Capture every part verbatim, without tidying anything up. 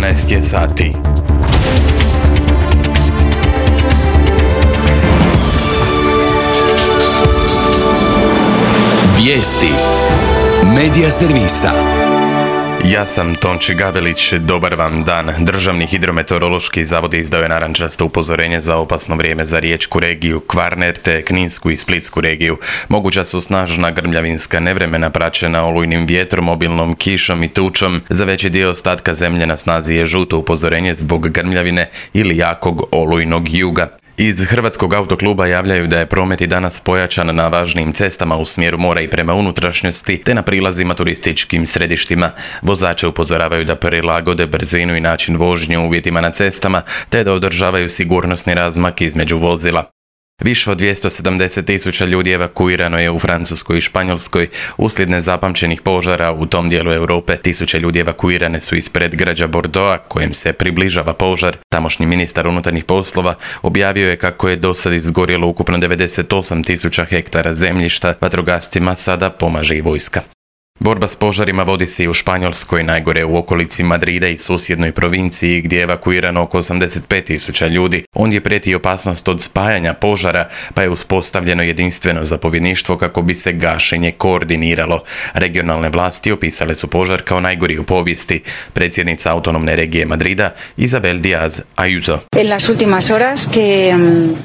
dvanaest je sati. Vijesti Medija servisa. Ja sam Tonči Gavelić, dobar vam dan. Državni hidrometeorološki zavod izdao je narančasto upozorenje za opasno vrijeme za riječku regiju, Kvarner te Kninsku i Splitsku regiju. Moguća su snažna grmljavinska nevremena praćena olujnim vjetrom, obilnom kišom i tučom. Za veći dio ostatka zemlje na snazi je žuto upozorenje zbog grmljavine ili jakog olujnog juga. Iz Hrvatskog autokluba javljaju da je promet i danas pojačan na važnim cestama u smjeru mora i prema unutrašnjosti te na prilazima turističkim središtima. Vozače upozoravaju da prilagode brzinu i način vožnje u uvjetima na cestama te da održavaju sigurnosni razmak između vozila. Više od dvjesto sedamdeset tisuća ljudi evakuirano je u Francuskoj i Španjolskoj uslijed nezapamćenih požara u tom dijelu Europe. Tisuće ljudi evakuirane su iz predgrađa Bordeauxa kojem se približava požar. Tamošnji ministar unutarnjih poslova objavio je kako je do sad izgorjelo ukupno devedeset osam tisuća hektara zemljišta. Vatrogascima sada pomaže i vojska. Borba s požarima vodi se i u Španjolskoj, najgore u okolici Madrida i susjednoj provinciji gdje je evakuirano oko osamdeset pet tisuća ljudi. Ondje prijeti opasnost od spajanja požara, pa je uspostavljeno jedinstveno zapovjedništvo kako bi se gašenje koordiniralo. Regionalne vlasti opisale su požar kao najgori u povijesti. Predsjednica autonomne regije Madrida, Isabel Díaz Ayuso.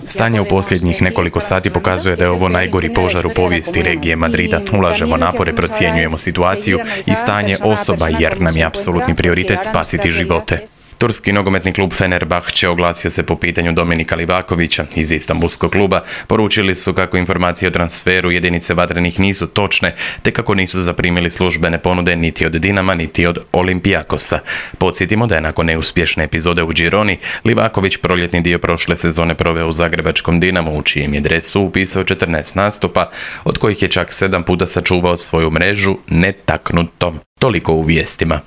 Stanje u posljednjih nekoliko sati pokazuje da je ovo najgori požar u povijesti regije Madrida. Ulažemo napore, procjenjujemo situaciju i stanje osoba jer nam je apsolutni prioritet spasiti živote. Turski nogometni klub Fenerbahče oglasio se po pitanju Dominika Livakovića iz Istanbulskog kluba. Poručili su kako informacije o transferu jedinice vatrenih nisu točne, te kako nisu zaprimili službene ponude niti od Dinama, niti od Olympiakosa. Podsjetimo da je nakon neuspješne epizode u Gironi, Livaković proljetni dio prošle sezone proveo u zagrebačkom Dinamu, u čijem je dresu upisao četrnaest nastupa, od kojih je čak sedam puta sačuvao svoju mrežu netaknutom. Toliko u vijestima.